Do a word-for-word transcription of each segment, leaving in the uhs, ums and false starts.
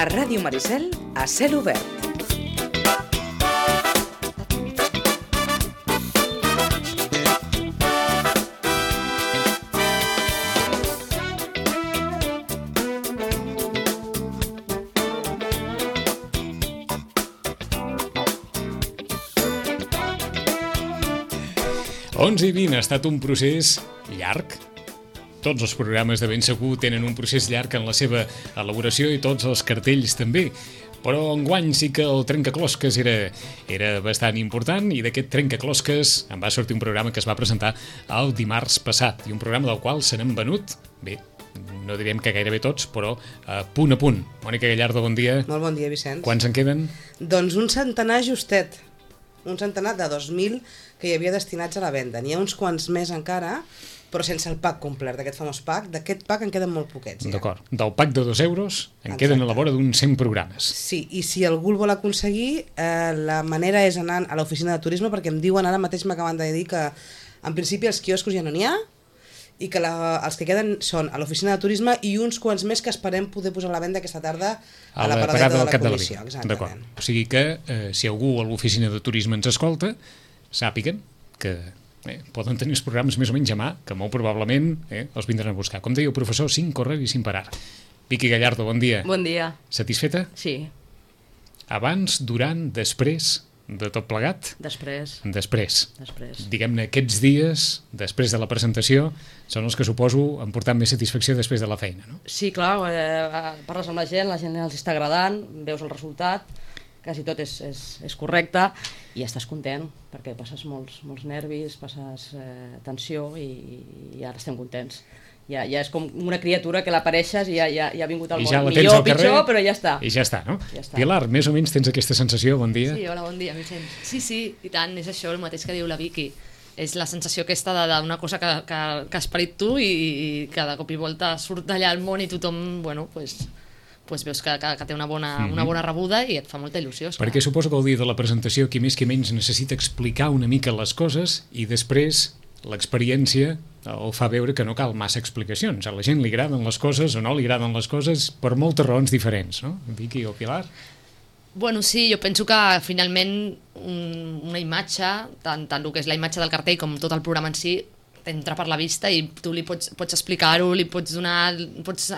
A Ràdio Maricel, a cel obert. onze i vint ha estat un procés llarg. Tots els programes de Ben Segur tenen un procés llarg en la seva elaboració i tots els cartells també. Però enguany sí que el trencaclosques era, era bastant important i d'aquest trencaclosques en va sortir un programa que es va presentar el dimarts passat i un programa del qual se n'han venut, bé, no direm que gairebé tots, però a punt a punt. Mònica Gallardo, bon dia. Molt bon dia, Vicenç. Quants en queden? Doncs un centenar justet. Un centenar de dos mil que hi havia destinats a la venda. N'hi ha uns quants més encara, però sense el pack complet, d'aquest famós pack. D'aquest pack en queden molt poquets, ja. D'acord. Del pack de dos euros en Exacte. Queden a la vora d'uns cent programes. Sí, i si algú el vol aconseguir, eh, la manera és anar a l'oficina de turisme, perquè em diuen, ara mateix m'acaben de dir que en principi els quioscos ja no n'hi ha, i que la, els que queden són a l'oficina de turisme i uns quants més que esperem poder posar a la venda aquesta tarda a, a la paradeta de la comissió. D'acord. O sigui que eh, si algú a l'oficina de turisme ens escolta, sàpiguen que eh, poden tenir els programes més o menys a mà, que molt probablement eh, els vindran a buscar. Com deia el professor, sin correr i sin parar. Vicky Gallardo, bon dia. Bon dia. Satisfeta? Sí. Abans, durant, després de tot plegat? Després. Després. Després. Diguem-ne, aquests dies, després de la presentació, són els que suposo han portat més satisfacció després de la feina, no? Sí, clar, eh, parles amb la gent, la gent els està agradant, veus el resultat, quasi tot és, és, és correcte i estàs content, perquè passes molts, molts nervis, passes eh, tensió i, i ara estem contents. Ja, ja és com una criatura que l'apareixes i ja, ja, ja ha vingut al I món. ja la Millor tens o al carrer, pitjor, però ja està. I ja està, no? Ja està. Pilar, més o menys tens aquesta sensació, bon dia. Sí, hola, bon dia, Vicenç. Sí, sí, i tant, és això el mateix que diu la Vicky. És la sensació aquesta d'una cosa que, que, que has parit tu i, i cada cop i volta surt d'allà al món i tothom, bueno, pues, pues veus que, que, que té una bona, mm-hmm. una bona rebuda i et fa molta il·lusió. Esclar. Perquè suposo que el dia de la presentació qui més qui menys necessita explicar una mica les coses i després l'experiència el fa veure que no cal massa explicacions. A la gent li agraden les coses o no li agraden les coses per moltes raons diferents, no? Vicky o Pilar? Bueno, sí, jo penso que finalment un, una imatge, tant, tant el que és la imatge del cartell com tot el programa en si, t'entra per la vista i tu li pots, pots explicar-ho, li pots donar, pots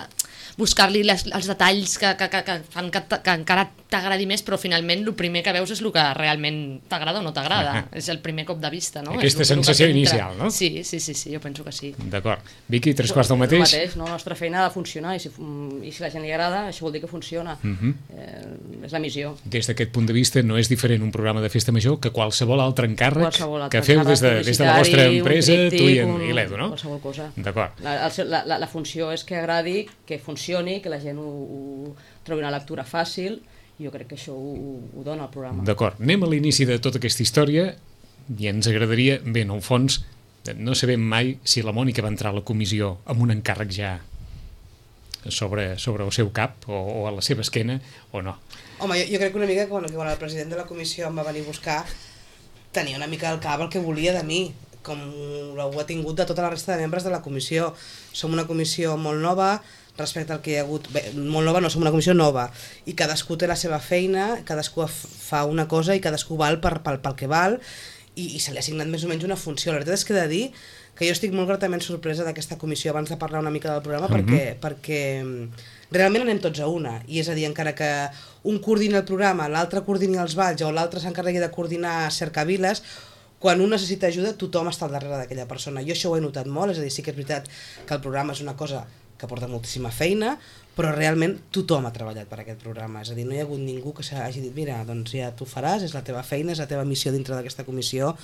buscar-li les, els detalls que, que, que, que fan que, que encara t'agradi més, però finalment el primer que veus és el que realment t'agrada o no t'agrada. És el primer cop de vista, no? Aquesta és el, sensació el inicial, no? Sí, sí, sí, sí, jo penso que sí. D'acord. Vicky, tres quarts del mateix? El mateix, no? La nostra feina ha de funcionar i si, i si la gent li agrada, això vol dir que funciona. Uh-huh. eh, és la missió. Des d'aquest punt de vista no és diferent un programa de festa major que qualsevol altre encàrrec qualsevol altre que feu des de, des de la vostra empresa, tríptic, tu i, en, un, i l'Edu, no? Qualsevol cosa. D'acord. La, la, la, la funció és que agradi, que funcioni, que la gent ho, ho trobi una lectura fàcil, i jo crec que això ho, ho dona el programa. D'acord. Anem a l'inici de tota aquesta història i ens agradaria, bé, en el fons, no sabem mai si la Mònica va entrar a la comissió amb un encàrrec ja sobre, sobre el seu cap o, o a la seva esquena o no. Home, jo, jo crec que una mica quan, quan el president de la comissió em va venir a buscar tenia una mica al cap el que volia de mi, com ho ha tingut de tota la resta de membres de la comissió. Som una comissió molt nova respecte al que hi ha hagut, bé, molt nova no, som una comissió nova i cadascú té la seva feina, cadascú fa una cosa i cadascú val per, pel, pel que val i, i se li ha assignat més o menys una funció. La veritat és que he de dir que jo estic molt gratament sorpresa d'aquesta comissió abans de parlar una mica del programa mm-hmm. perquè, perquè realment anem tots a una, i és a dir, encara que un coordini el programa, l'altre coordini els balls o l'altre s'encarregui de coordinar cercaviles, quan un necessita ajuda tothom està al darrere d'aquella persona. Jo això ho he notat molt, és a dir, sí que és veritat que el programa és una cosa que porta moltíssima feina, però realment tothom ha treballat per aquest programa, és a dir, no hi ha hagut ningú que s'hagi dit mira, doncs ja tu faràs, és la teva feina, és la teva missió dintre d'aquesta comissió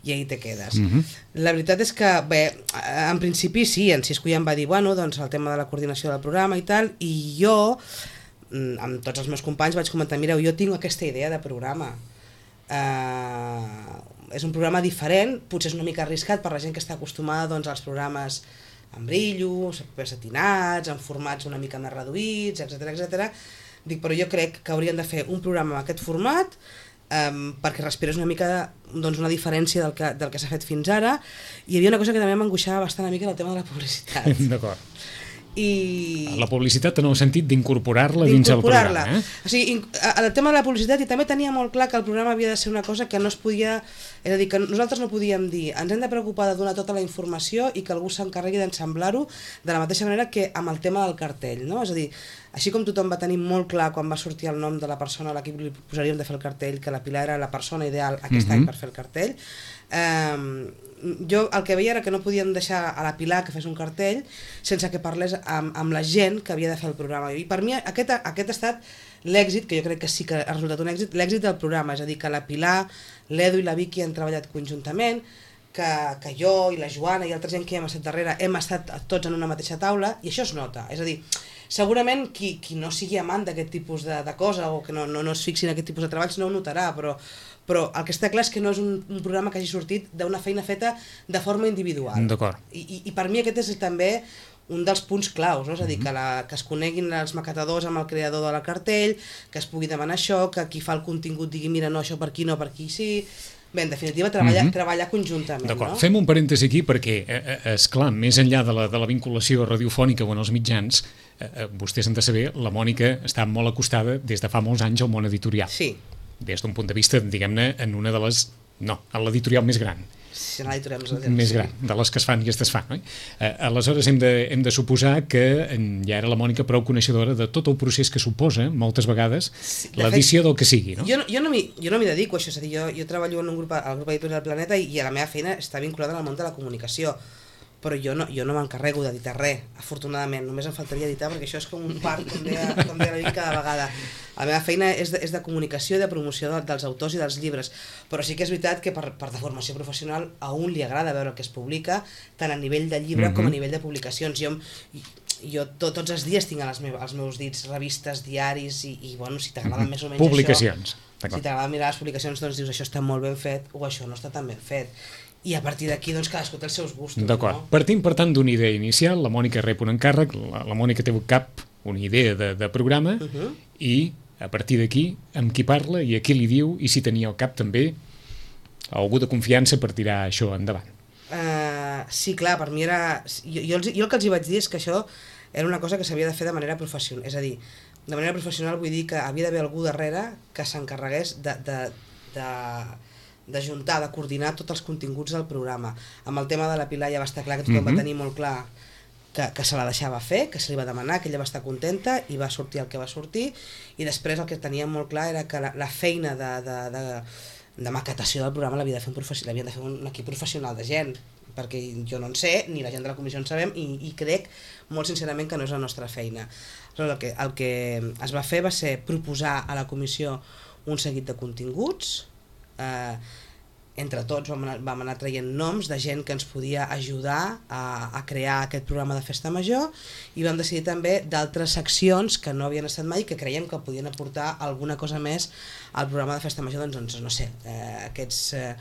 i ahí te quedes. Mm-hmm. La veritat és que, bé, en principi sí, en Cisco ja em va dir, bueno, doncs el tema de la coordinació del programa i tal, i jo, amb tots els meus companys, vaig comentar, mireu, jo tinc aquesta idea de programa. Uh, és un programa diferent, potser és una mica arriscat per la gent que està acostumada doncs, als programes amb brillos, satinats, en formats una mica més reduïts, etcètera, etcètera. Dic, però jo crec que haurien de fer un programa amb aquest format um, perquè respires una mica doncs, una diferència del que, del que s'ha fet fins ara. I hi havia una cosa que també m'angoixava bastant a mi, que era el tema de la publicitat. D'acord. i... La publicitat en el sentit d'incorporar-la dins el programa. Eh? O sigui, el tema de la publicitat, i també tenia molt clar que el programa havia de ser una cosa que no es podia... És a dir, que nosaltres no podíem dir ens hem de preocupar de donar tota la informació i que algú s'encarregui d'ensamblar-ho de la mateixa manera que amb el tema del cartell, no? És a dir, així com tothom va tenir molt clar quan va sortir el nom de la persona a l'equip li posaríem de fer el cartell, que la Pilar era la persona ideal aquest uh-huh. any per fer el cartell, eh, jo el que veia era que no podíem deixar a la Pilar que fes un cartell sense que parlés amb, amb la gent que havia de fer el programa, i per mi aquest, aquest ha estat l'èxit, que jo crec que sí que ha resultat un èxit, l'èxit del programa, és a dir, que la Pilar, l'Edu i la Vicky han treballat conjuntament, que, que jo i la Joana i altra gent que hem estat darrere hem estat tots en una mateixa taula, i això es nota, és a dir, segurament qui, qui no sigui amant d'aquest tipus de, de cosa o que no, no, no es fixi en aquest tipus de treballs no ho notarà, però però el que està clar és que no és un, un programa que hagi sortit d'una feina feta de forma individual. D'acord. I, i, I per mi aquest és també un dels punts claus, no? És a dir, que, la, que es coneguin els maquetadors amb el creador de la cartell, que es pugui demanar això, que qui fa el contingut digui mira, no, això per aquí, no, per aquí sí... Bé, en definitiva, treballar, mm-hmm. treballar conjuntament. D'acord, no? Fem un parèntesi aquí perquè, eh, és clar, més enllà de la, de la vinculació radiofònica o en els mitjans, eh, vostès han de saber, la Mònica està molt acostada des de fa molts anys al món editorial. Sí. Des d'un punt de vista, diguem-ne, en una de les... No, en l'editorial més gran. Sí, en l'editorial més gran. Més gran, de les que es fan i es desfan. No? Eh, aleshores, hem de, hem de suposar que ja era la Mònica prou coneixedora de tot el procés que suposa, moltes vegades, sí, l'edició del que sigui. No? Jo, jo no m'hi no dedico a això, és a dir, jo, jo treballo en un grup, al grup editorial Planeta i, i a la meva feina està vinculada al món de la comunicació. Però jo no, jo no m'encarrego d'editar res, afortunadament, només em faltaria editar perquè això és com un part, com deia, com deia la Vic cada vegada. La meva feina és de, és de comunicació i de promoció de, dels autors i dels llibres, però sí que és veritat que per, per de formació professional a un li agrada veure el que es publica, tant a nivell de llibre mm-hmm. com a nivell de publicacions. Jo, jo to, tots els dies tinc als meus, als meus dits revistes, diaris i, i bueno, si t'agrada mm-hmm. més o menys publicacions. Això, si t'agrada mirar les publicacions, doncs dius això està molt ben fet o això no està tan ben fet. I a partir d'aquí, doncs, cadascú té els seus gustos. D'acord. No? Partim, per tant, d'una idea inicial, la Mònica rep un encàrrec, la, la Mònica té un cap, una idea de, de programa, uh-huh. i a partir d'aquí, amb qui parla i a qui li diu, i si tenia al cap també algú de confiança per tirar això endavant. Uh, sí, clar, per mi era... Jo, jo, els, jo el que els hi vaig dir és que això era una cosa que s'havia de fer de manera professional. És a dir, de manera professional vull dir que havia d'haver algú darrere que s'encarregués de... de, de d'ajuntar, de coordinar tots els continguts del programa. Amb el tema de la Pilar ja va estar clar que tothom mm-hmm. va tenir molt clar que, que se la deixava fer, que se li va demanar, que ella va estar contenta i va sortir el que va sortir, i després el que teníem molt clar era que la, la feina de, de, de, de maquetació del programa l'havia de fer un professional, l'havia de fer un equip professional de gent, perquè jo no en sé, ni la gent de la comissió en sabem, i, i crec molt sincerament que no és la nostra feina. El que, el que es va fer va ser proposar a la comissió un seguit de continguts. Eh, entre tots vam anar, vam anar traient noms de gent que ens podia ajudar a, a crear aquest programa de Festa Major, i vam decidir també d'altres seccions que no havien estat mai i que creiem que podien aportar alguna cosa més al programa de Festa Major, doncs, doncs no sé, eh, aquests, eh,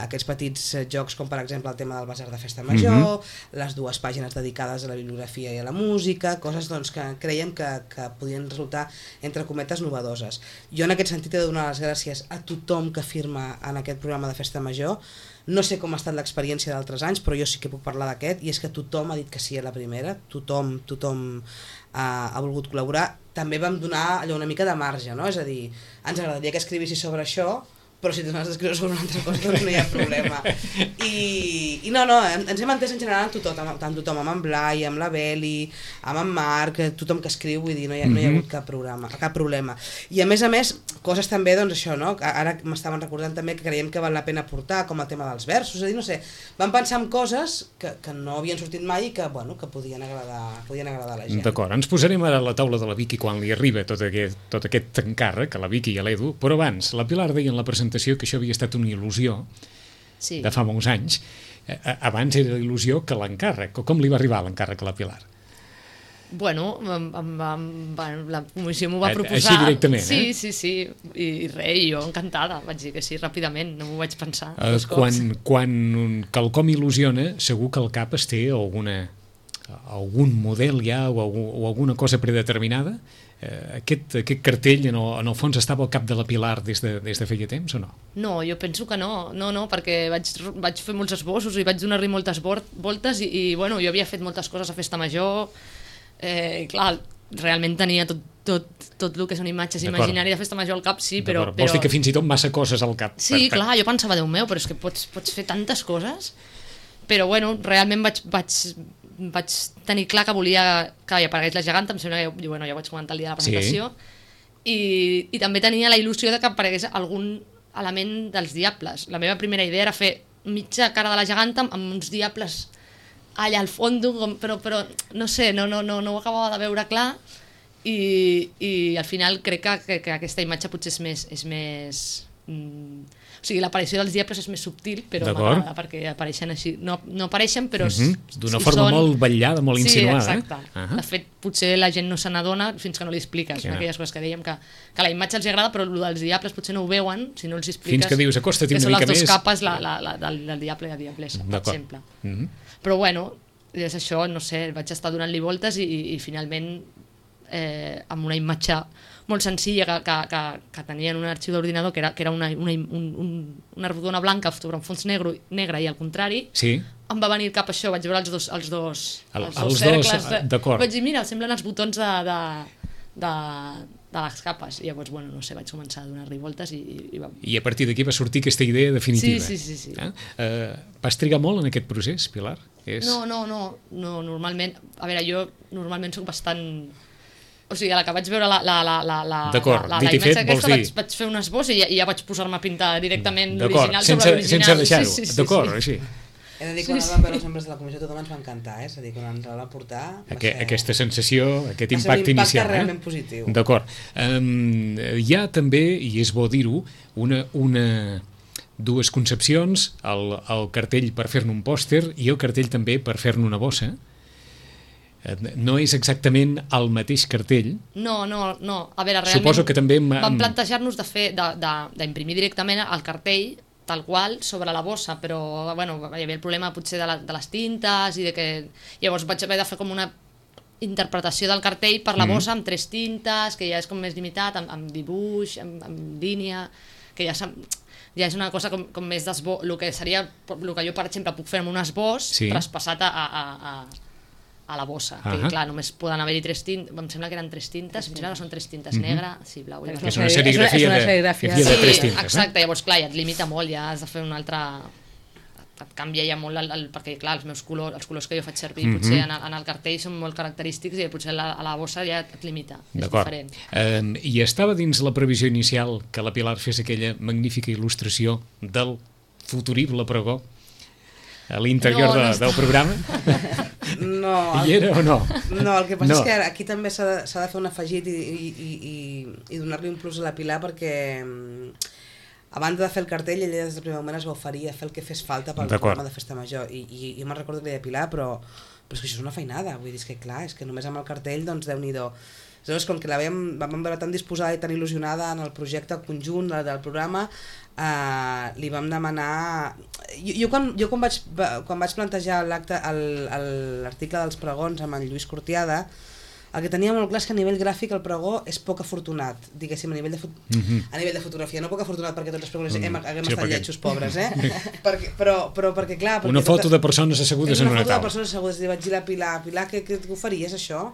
aquests petits jocs com per exemple el tema del basar de Festa Major, mm-hmm. les dues pàgines dedicades a la bibliografia i a la música, coses doncs, que creiem que, que podien resultar entre cometes novedoses. Jo en aquest sentit he de donar les gràcies a tothom que firma en aquest programa de Festa Major. No sé com ha estat l'experiència d'altres anys, però jo sí que puc parlar d'aquest, i és que tothom ha dit que sí a la primera, tothom, tothom ha, ha volgut col·laborar. També vam donar allò una mica de marge, no? És a dir, ens agradaria que escrivissis sobre això, però si tu n'has d'escriure sobre una altra cosa doncs no hi ha problema. I, i no, no, ens hem entès en general amb tothom, tant tothom, amb en Blai, amb la Beli, amb en Marc, tothom que escriu, vull dir, no hi ha, no hi ha hagut cap, programa, cap problema. I a més a més, coses també, doncs això, no? Ara m'estaven recordant també que creiem que val la pena portar, com el tema dels versos, és a dir, no sé, vam pensar en coses que, que no havien sortit mai i que, bueno, que podien agradar, podien agradar a la gent. D'acord, ens posarem ara a la taula de la Vicky quan li arriba tot aquest, tot aquest encàrrec, a la Vicky i a l'Edu, però abans, la Pilar deia en la presentació que això havia estat una il·lusió sí. de fa molts anys. Abans era il·lusió que l'encàrrec. Com li va arribar l'encàrrec a la Pilar? Bueno, amb, amb, amb, la comissió m'ho va proposar. Així directament, sí, eh? Sí, sí, i, i res, jo encantada, vaig dir que sí, ràpidament, no m'ho vaig pensar uh, dos quan, cops. Quan quelcom il·lusiona, segur que al cap es té alguna, algun model ja o, o alguna cosa predeterminada. Uh, aquest, aquest cartell en el, en el fons estava al cap de la Pilar des de, des de feia temps o no? No, jo penso que no, no, no, perquè vaig, vaig fer molts esbossos i vaig donar-li moltes voltes i, i bueno, jo havia fet moltes coses a Festa Major, eh, clar, realment tenia tot, tot, tot el que són imatges imaginàries de festa major al cap, sí, però, però... Vols dir que fins i tot massa coses al cap. Sí, per, per... clar, jo pensava, Déu meu, però és que pots, pots fer tantes coses. Però bueno, realment vaig, vaig, vaig tenir clar que volia que hi aparegués la geganta, em sembla que bueno, ja ho vaig comentar el dia de la presentació, sí. I, i també tenia la il·lusió de que aparegués algun element dels diables. La meva primera idea era fer mitja cara de la geganta amb uns diables allà al fons, però, però no sé, no, no, no, no ho acabava de veure clar. I, i al final crec que, que, que aquesta imatge potser és més... És més mm, o sigui, l'aparició dels diables és més subtil, però m'agrada perquè apareixen així. No, no apareixen, però... Mm-hmm. D'una forma són... molt vetllada, molt insinuada. Sí, exacte. Eh? Uh-huh. De fet, potser la gent no se n'adona fins que no li expliques. Yeah. Aquelles coses que dèiem, que, que la imatge els agrada, però el dels diables potser no ho veuen si no els expliques. Fins que dius, acosta't una mica més. Que són les dues capes la, la, la, del, del diable i la diablessa, per exemple. Mm-hmm. Però bueno, és això, no sé, vaig estar donant-li voltes i, i, i finalment eh, amb una imatge molt senzilla que, que, que, que tenia en un arxiu d'ordinador, que era, que era una, una, un, un, una rodona blanca sobre un fons negre, negre i al contrari, sí. Em va venir cap això, vaig veure els dos, els dos, el, els dos cercles, de, d'acord. Vaig dir, mira, semblen els botons de, de, de, de les capes, i llavors, bueno, no sé, vaig començar a donar-li voltes i, i va... I a partir d'aquí va sortir aquesta idea definitiva. Sí, sí, sí. sí. Eh? Uh, vas trigar molt en aquest procés, Pilar? És... No, no, no, no, normalment, a veure, jo normalment soc bastant... O sigui, a la que vaig veure la, la, la, la, la, D'acord, la, la, dit i fet, vols dir... Vaig, vaig fer un esbós i ja, i ja vaig posar-me a pintar directament l'original sense, sobre l'original. Sense deixar-ho, sí, sí, sí, d'acord, sí. així. He de dir que quan sí, sí. vam veure els membres de la comissió tothom ens va encantar, eh? És a dir, quan ens la va portar... Va Aqu ser... Aquesta sensació, aquest va impacte inicial. Va ser un impacte realment eh? positiu. D'acord. Um, hi ha també, i és bo dir-ho, una, una, dues concepcions, el, el cartell per fer-ne un pòster i el cartell també per fer-ne una bossa. No és exactament el mateix cartell. No, no, no. A veure, realment Suposo que també vam plantejar-nos de fer d'imprimir directament el cartell tal qual sobre la bossa, però bueno, hi havia el problema potser de, la, de les tintes i de que llavors vaig haver de fer com una interpretació del cartell per la bossa mm. amb tres tintes, que ja és com més limitat, amb, amb dibuix, amb, amb línia, que ja ja és una cosa com, com més d'esbós, el que seria, el que jo per exemple puc fer amb un esbós sí. traspassat a, a, a, a la bossa, uh -huh. que clar, només poden haver-hi tres tintes, em sembla que eren tres tintes, em sembla que són tres tintes, uh -huh. negra, sí, blau i que és una serigrafia, és una serigrafia. de, de, de tres sí, tintes. Exacte, eh? llavors clar, ja et limita molt, ja has de fer un altre... et canvia ja molt, el, el, perquè clar, els meus colors, els colors que jo faig servir uh -huh. potser en el, en el cartell són molt característics i potser a la bossa ja et limita, és diferent. Um, I estava dins la previsió inicial que la Pilar fes aquella magnífica il·lustració del futurible pregó a l'interior no, no de, del programa? No. Hi era o no? No, el que passa no. és que aquí també s'ha de, s'ha de fer un afegit i, i, i, i donar-li un plus a la Pilar perquè a banda de fer el cartell ella des del primer moment es va oferir a fer el que fes falta pel programa de Festa Major i, i, i jo me'n recordo que li deia Pilar però, però és que això és una feinada, vull dir, és que clar, és que només amb el cartell doncs Déu-n'hi-do. Llavors, com que la vam, vam veure tan disposada i tan il·lusionada en el projecte conjunt del programa, eh, li vam demanar... Jo, jo, quan, jo quan, vaig, quan vaig plantejar l'acte, l'article dels pregons amb en Lluís Cortiada, el que tenia molt clar és que a nivell gràfic el pregó és poc afortunat, diguéssim, a nivell de, mm-hmm. a nivell de fotografia, no poc afortunat perquè tots els pregoners mm. hem, haguem sí, estat perquè... lletjos pobres, eh? perquè, però, però perquè clar... Perquè una foto tota... de persones assegudes en una taula. Una foto de persones assegudes, i vaig dir a la Pilar, Pilar, què, què ho faries això?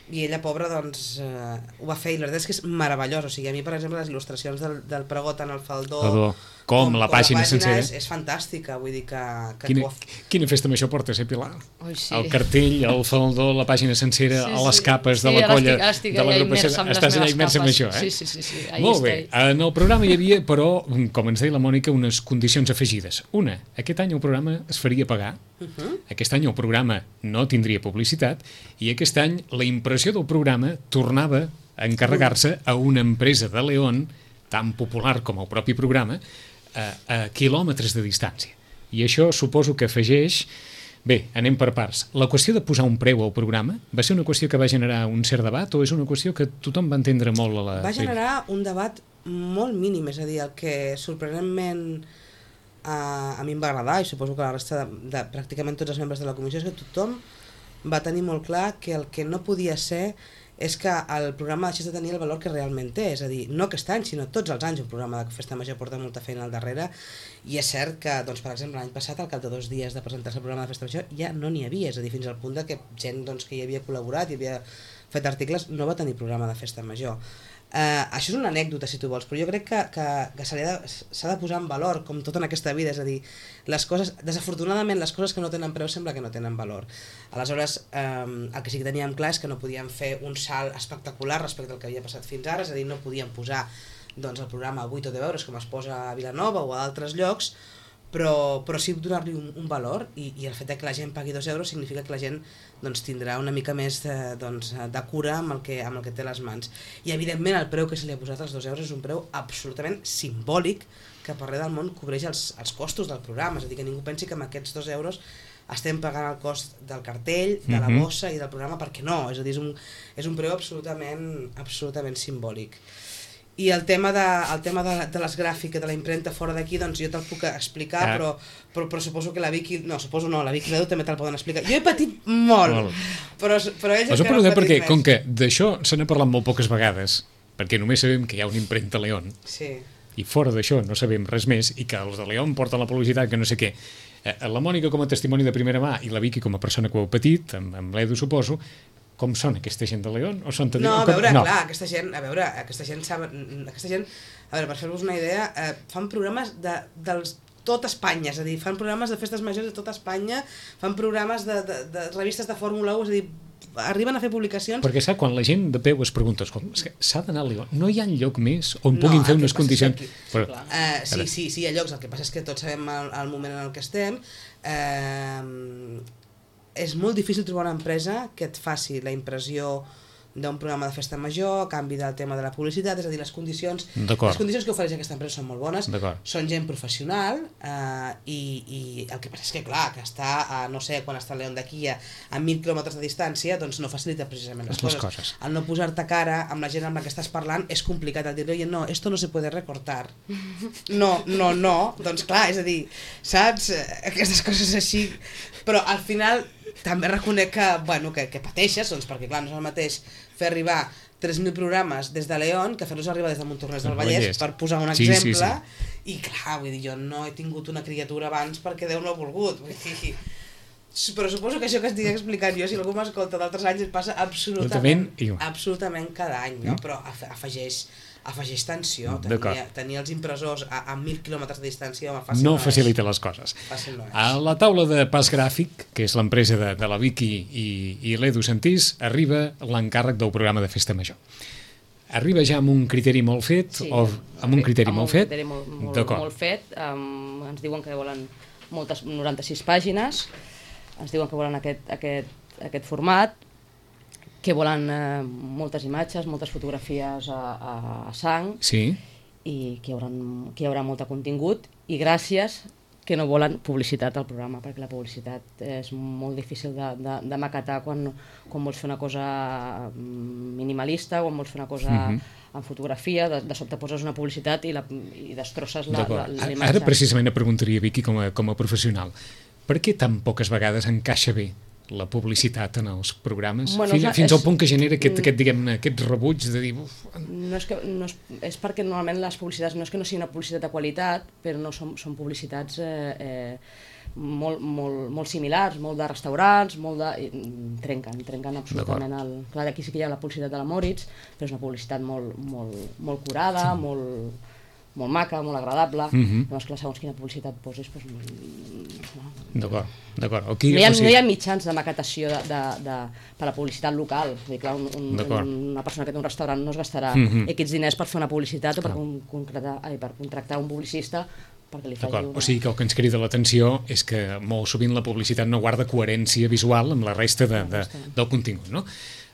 I ella, pobra, doncs, eh, ho va fer, i la veritat és que és meravellós, o sigui, a mi, per exemple, les il·lustracions del, del pregó, tant el faldó Faldó. Com, com la pàgina, pàgina sencera és, és fantàstica, vull dir que... que quina, quina festa major portes, eh, Pilar? Ui, sí. El cartell, el faldó, la pàgina sencera, sí, sí. les capes sí, de la colla, ara estic, de l'agrupació, estàs allà immersa en això, eh? Sí, sí, sí, sí. Molt bé, en el programa hi havia, però, com ens deia la Mònica, unes condicions afegides. Una, aquest any el programa es faria pagar, uh-huh. aquest any el programa no tindria publicitat, i aquest any la impressió del programa tornava a encarregar-se a una empresa de León, tan popular com el propi programa, a, a quilòmetres de distància. I això suposo que afegeix... Bé, anem per parts. La qüestió de posar un preu al programa va ser una qüestió que va generar un cert debat o és una qüestió que tothom va entendre molt a la... Va generar un debat molt mínim, és a dir, el que sorprenentment a, a mi em va agradar i suposo que la resta de, de pràcticament tots els membres de la comissió és que tothom va tenir molt clar que el que no podia ser és que el programa deixés de tenir el valor que realment té, és a dir, no aquest any, sinó tots els anys un programa de Festa Major porta molta feina al darrere, i és cert que, doncs, per exemple, l'any passat, al cap de dos dies de presentar-se el programa de Festa Major, ja no n'hi havia, és a dir, fins al punt de que gent doncs, que hi havia col·laborat i havia fet articles no va tenir programa de Festa Major. Uh, això és una anècdota, si tu vols, però jo crec que, que, que s'ha de, s'ha de posar en valor, com tot en aquesta vida, és a dir, les coses, desafortunadament les coses que no tenen preu sembla que no tenen valor. Aleshores, um, el que sí que teníem clar és que no podíem fer un salt espectacular respecte al que havia passat fins ara, és a dir, no podíem posar doncs, el programa a vuit o deu euros com es posa a Vilanova o a altres llocs, però, però sí donar-li un, un valor, i, i el fet que la gent pagui dos euros significa que la gent doncs, tindrà una mica més de, doncs, de cura amb el, que, amb el que té a les mans. I evidentment el preu que se li ha posat als dos euros és un preu absolutament simbòlic que per res del món cobreix els, els costos del programa, és a dir, que ningú pensi que amb aquests dos euros estem pagant el cost del cartell, de la bossa i del programa, perquè no, és a dir, és un, és un preu absolutament, absolutament simbòlic. I el tema de, el tema de, de les gràfiques, de la impremta fora d'aquí, doncs jo te'l puc explicar, ah. però, però, però suposo que la Vicky, no, suposo no, la Vicky i l'Edu també te'l poden explicar. Jo he patit molt, molt. però, però ells encara han patit perquè, més. Com que d'això se n'ha parlat molt poques vegades, perquè només sabem que hi ha una impremta León, sí. i fora d'això no sabem res més, i que els de León porten la publicitat, que no sé què. La Mònica com a testimoni de primera mà i la Vicky com a persona que ho ha patit, amb, amb l'Edu suposo, com són aquesta gent de León? O són no, a veure, no. clar, aquesta gent, a veure, aquesta gent sap, aquesta gent, a veure, per fer-vos una idea, eh, fan programes de, dels tot Espanya, és a dir, fan programes de festes majors de tot Espanya, fan programes de, de, de revistes de Fórmula u, és a dir, arriben a fer publicacions... Perquè sap, quan la gent de peu es pregunta, s'ha d'anar a León, no hi ha lloc més on puguin no, fer unes condicions... Que, però, uh, sí, sí, sí, hi ha llocs, el que passa és que tots sabem el, el moment en el que estem, eh... és molt difícil trobar una empresa que et faci la impressió d'un programa de festa major a canvi del tema de la publicitat, és a dir, les condicions les condicions que ofereix aquesta empresa són molt bones, són gent professional, eh, i, i el que passa és que clar, que està a, no sé, quan està a León d'aquí a, a mil quilòmetres de distància, doncs no facilita precisament les, les coses. coses. Al no posar-te cara amb la gent amb la que estàs parlant és complicat, el dir-li, no, esto no se puede recortar. No, no, no, doncs clar, és a dir, saps? Aquestes coses així, però al final també reconec que, bueno, que, que pateixes, doncs, perquè clar, no és el mateix fer arribar tres mil programes des de León que fer-los arribar des de Montornès del Vallès, per posar un sí, exemple, sí, sí. I clar, vull dir, jo no he tingut una criatura abans perquè Déu no ha volgut, vull dir, però suposo que això que estic explicant jo, si algú m'escolta d'altres anys, et passa absolutament, absolutament cada any, no? Però afegeix afegeix tensió, tenir, tenir els impressors a, a mil quilòmetres de distància home, fàcil no, no facilita les coses. No a la taula de Pas Gràfic, que és l'empresa de, de la Vicky i, i l'Edu Santís, arriba l'encàrrec del programa de Festa Major. Arriba ja amb un criteri molt fet, sí, o amb un criteri amb molt un fet? Criteri molt, molt, molt fet, um, ens diuen que volen moltes, noranta-sis pàgines, ens diuen que volen aquest, aquest, aquest format, que volen eh, moltes imatges, moltes fotografies a, a, a sang, sí. I que hi, haurà, que hi haurà molt de contingut, i gràcies que no volen publicitat al programa, perquè la publicitat és molt difícil de, de, de maquetar quan, quan vols fer una cosa minimalista, quan vols fer una cosa uh-huh. en fotografia, de, de sobte poses una publicitat i, la, i destrosses la, la, la imatge. Ara precisament et preguntaria, Vicky, com a, com a professional, per què tan poques vegades encaixa bé la publicitat en els programes, bueno, fins, fins és, al punt que genera aquest, aquest, diguem-ne, aquest rebuig de dir... Uf. No és, que, no és, és perquè normalment les publicitats no és que no sigui una publicitat de qualitat, però no són, són publicitats eh, eh, molt, molt, molt similars, molt de restaurants, molt de... trenquen, trenquen absolutament el... Clar, aquí sí que hi ha la publicitat de la Moritz, però és una publicitat molt, molt, molt curada, sí. molt... molt maca, molt agradable, uh-huh. Llavors, clar, segons quina publicitat posis, doncs... No. D'acord, d'acord. Aquí, no, hi ha, o sigui... no hi ha mitjans de maquetació de, de, de, per a publicitat local. Dir, clar, un, un, una persona que té un restaurant no es gastarà uh-huh. X diners per fer una publicitat o per, un, concretar, ai, per contractar un publicista perquè li faci una... O sigui que el que ens crida l'atenció és que molt sovint la publicitat no guarda coherència visual amb la resta de, de, del contingut, no?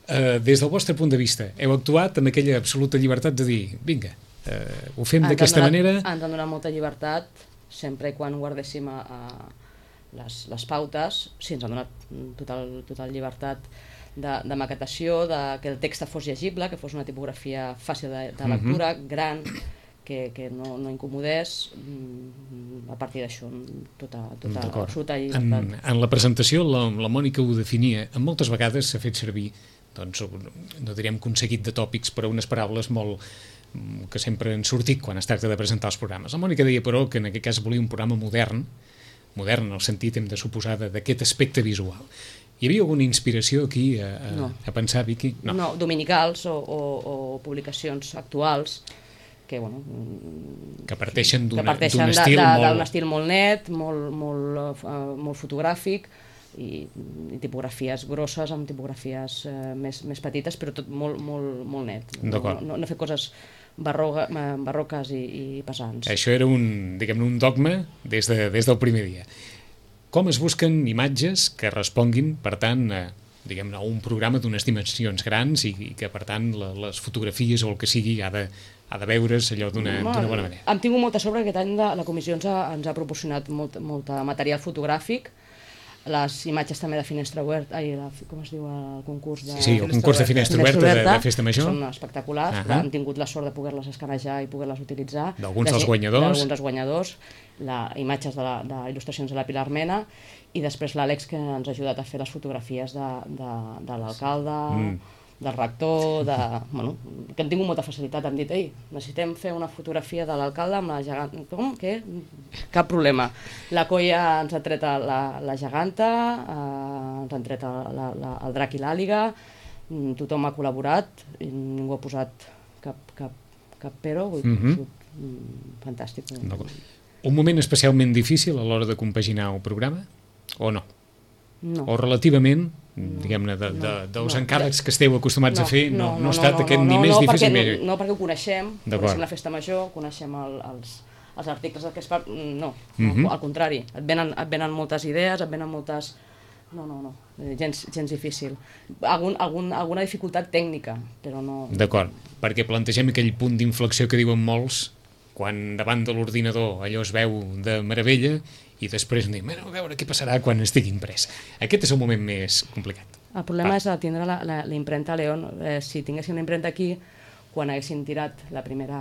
Uh, des del vostre punt de vista, heu actuat amb aquella absoluta llibertat de dir, vinga, Uh, ho fem d'aquesta manera... Ens han donat molta llibertat, sempre i quan guardéssim a, a les, les pautes. Sí, ens han donat total, total llibertat de, de maquetació, de que el text fos llegible, que fos una tipografia fàcil de, de lectura, uh-huh. gran, que, que no, no incomodés. A partir d'això, tota, tota absoluta llibertat. En, en la presentació, la, la Mònica ho definia, en moltes vegades s'ha fet servir doncs, no direm que un seguit de tòpics, però unes paraules molt que sempre han sortit quan es tracta de presentar els programes. La Mònica deia, però, que en aquest cas volia un programa modern, modern en el sentit, hem de suposar, d'aquest aspecte visual. Hi havia alguna inspiració aquí a, a, no. a pensar, Vicky? No, no dominicals o, o, o publicacions actuals que, bueno, que parteixen d'un estil, molt... estil molt net, molt, molt, uh, molt fotogràfic, i, i tipografies grosses amb tipografies uh, més, més petites, però tot molt, molt, molt net. No, no, no fer coses barroga, barroques i, i pesants. Això era un, diguem-ne, un dogma des, de, des del primer dia. Com es busquen imatges que responguin, per tant, a, diguem-ne, a un programa d'unes dimensions grans i, i que, per tant, la, les fotografies o el que sigui ha de, ha de veure's allò d'una bona manera? Hem tingut molta sort perquè aquest any la, la comissió ens ha, ens ha proporcionat molt, molt material fotogràfic, les imatges també de Finestra Oberta, ai, la, com es diu el concurs de... Sí, el concurs de Finestra Oberta de, de Festa Major. Són espectaculars, uh -huh. Hem tingut la sort de poder-les escanejar i poder-les utilitzar. D'alguns dels guanyadors. D'alguns dels guanyadors, la, imatges de, la, de il·lustracions de la Pilar Mena, i després l'Àlex, que ens ha ajudat a fer les fotografies de, de, de l'alcalde, mm. del rector, de, bueno, que hem tingut molta facilitat. Hem dit, ei, necessitem fer una fotografia de l'alcalde amb la geganta. Com? Què? Cap problema. La Colla ens ha tret la, la geganta, eh, ens han tret la, la, el drac i l'àliga, tothom ha col·laborat, i ningú ha posat cap, cap, cap però, vull dir, mm -hmm. mm, fantàstic. Un moment especialment difícil a l'hora de compaginar el programa, o no? No. O relativament, diguem-ne, de, de, dels no, encàrrecs que esteu acostumats no, a fer, no, no, no, no ha estat no, aquest no, ni no, més no, difícil... Perquè, no, no, perquè ho coneixem, coneixem la Festa Major, coneixem el, els, els articles del que es fa... No, uh-huh. no, al contrari, et venen, et venen moltes idees, et venen moltes... No, no, no, gens, gens difícil. Algun, algun, alguna dificultat tècnica, però no... D'acord, perquè plantegem aquell punt d'inflexió que diuen molts, quan davant de l'ordinador allò es veu de meravella i després anem a veure què passarà quan estigui imprès. Aquest és el moment més complicat. El problema ah. és tindre la, la, la impremta León. Eh, si tinguéssim la impremta aquí, quan haguéssim tirat la primera...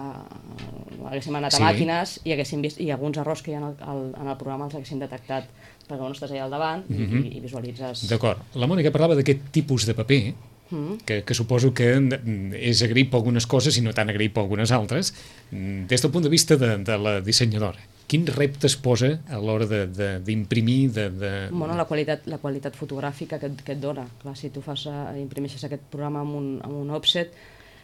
haguéssim anat a sí. màquines i haguéssim vist, i alguns errors que hi ha en el, en el programa els haguéssim detectat, perquè no estàs allà al davant mm -hmm. i, i visualitzes... D'acord. La Mònica parlava d'aquest tipus de paper, mm. que, que suposo que és agraït per algunes coses i no tan agraït per algunes altres, des del punt de vista de, de la dissenyadora. Quins reptes posa a l'hora d'imprimir? De, de, de... Bueno, la qualitat, la qualitat fotogràfica que, que et dona. Clar, si tu fas, uh, imprimeixes aquest programa amb un, amb un offset,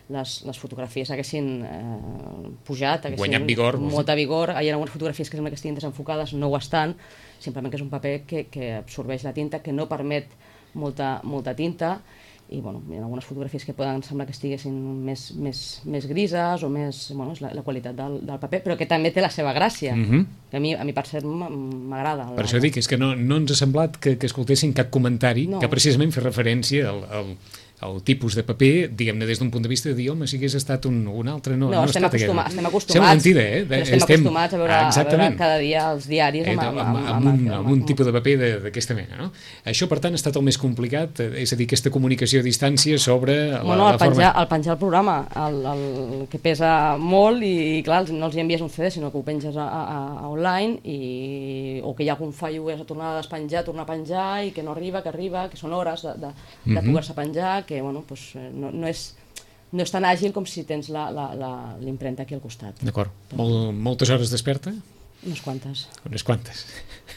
les, les fotografies haguessin eh, pujat, haguessin guanyat vigor. Molta vigor. Hi ha algunes fotografies que sembla que estiguin desenfocades, no ho estan, simplement que és un paper que, que absorbeix la tinta, que no permet molta, molta tinta, i bueno, hi ha algunes fotografies que poden semblar que estiguessin més, més, més grises o més... Bueno, és la, la qualitat del, del paper, però que també té la seva gràcia, mm -hmm. que a mi, a mi per cert m'agrada. Per això dic, és que no, no ens ha semblat que, que escoltessin cap comentari no. que precisament fa referència al, al, al tipus de paper, diguem-ne, des d'un punt de vista de dir, home, si hagués estat un, un altre, no, no, no estem, ha estat acostuma, aquest. estem acostumats, sembla mentida, eh? Però estem, estem acostumats a veure, ah, a veure cada dia els diaris amb, amb, amb, amb, amb, un, amb, amb un tipus de paper d'aquesta mena, no? Això, per tant, ha estat el més complicat, és a dir, aquesta comunicació a distància sobre la, bueno, el la penjar, forma... el penjar el programa, el, el que pesa molt i, i clar, no els hi envies un C D, sinó que ho penges a, a, a online, i, o que hi ha algun fallo i has de tornar a despenjar, tornar a penjar, i que no arriba, que arriba, que són hores de, de, de mm-hmm. poder-se penjar, que bueno, pues, no, no és... no és tan àgil com si tens l'impremta aquí al costat. D'acord. Mol, moltes hores desperta? Unes quantes. Unes quantes.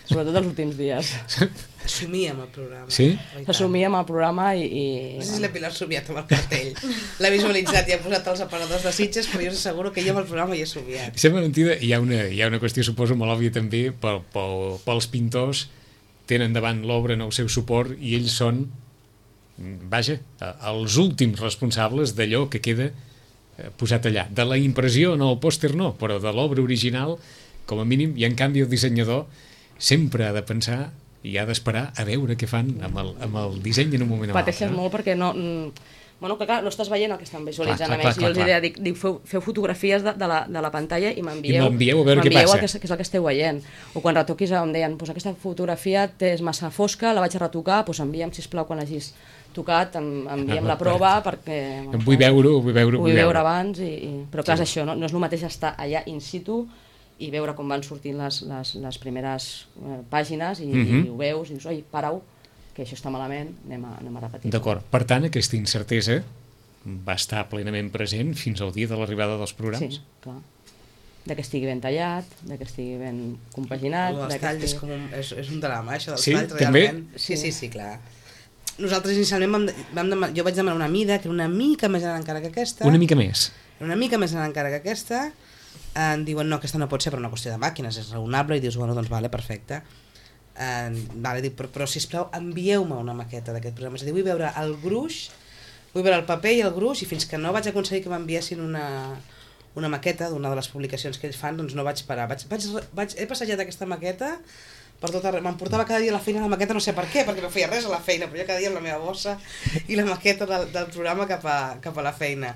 Sobretot els últims dies. Somia amb el programa. Sí? S'assumia amb el programa i... i... No sé si la Pilar ha somiat amb el cartell. L'ha visualitzat i ha posat els aparadors de Sitges, però jo us asseguro que jo amb el programa hi he somiat. Sembla mentida, hi ha una, hi ha una qüestió, suposo, molt òbvia també, pel, pel, pels pintors, tenen davant l'obra en el seu suport i ells són, vaja, els últims responsables d'allò que queda posat allà. De la impressió en el pòster no, però de l'obra original, com a mínim, i en canvi el dissenyador sempre ha de pensar i ha d'esperar a veure què fan amb el, amb el disseny en un moment o altre. Pateixes molt perquè no... Bueno, que clar, no estàs veient el que estan visualitzant, clar, clar, a més. Clar, clar, jo els deia, dic, dic feu, feu fotografies de, de, la, de la pantalla i m'envieu I m'envieu a veure què passa. El que, que és el que esteu veient. O quan retoquis em deien, pues aquesta fotografia és massa fosca, la vaig a retocar, pues envia'm, sisplau, quan l'hagis tocat, envia'm la prova, perquè... Bueno, vull veure-ho, vull veure-ho. Vull veure abans, i, i... però clar, sí. És això, no, no és el mateix estar allà in situ i veure com van sortint les, les, les primeres eh, pàgines i, mm -hmm. i ho veus i dius, oi, para-ho, que això està malament, anem a, anem a repetir. D'acord. Per tant, aquesta incertesa va estar plenament present fins al dia de l'arribada dels programes? Sí, clar. De que estigui ben tallat, de que estigui ben compaginat... Els de que talls estigui... és, com un, és, és un drama, això dels Sí, talls, també? realment. Sí, sí, sí, clar. Nosaltres inicialment vam, vam demanar, jo vaig demanar una mida que era una mica més gran encara que aquesta. Una mica més. Una mica més gran encara que aquesta. Em diuen, no, aquesta no pot ser per una qüestió de màquines, és raonable, i dius, bueno, doncs vale, perfecte. Eh, vale, dic, però, però sisplau, envieu-me una maqueta d'aquest programa. És a dir, vull veure el gruix, vull veure el paper i el gruix, i fins que no vaig aconseguir que m'enviessin una, una maqueta d'una de les publicacions que ells fan, doncs no vaig parar. Vaig, vaig, vaig, he passejat aquesta maqueta per tot arreu. M'emportava cada dia a la feina la maqueta, no sé per què, perquè no feia res a la feina, però jo cada dia amb la meva bossa i la maqueta del, del programa cap a, cap a la feina.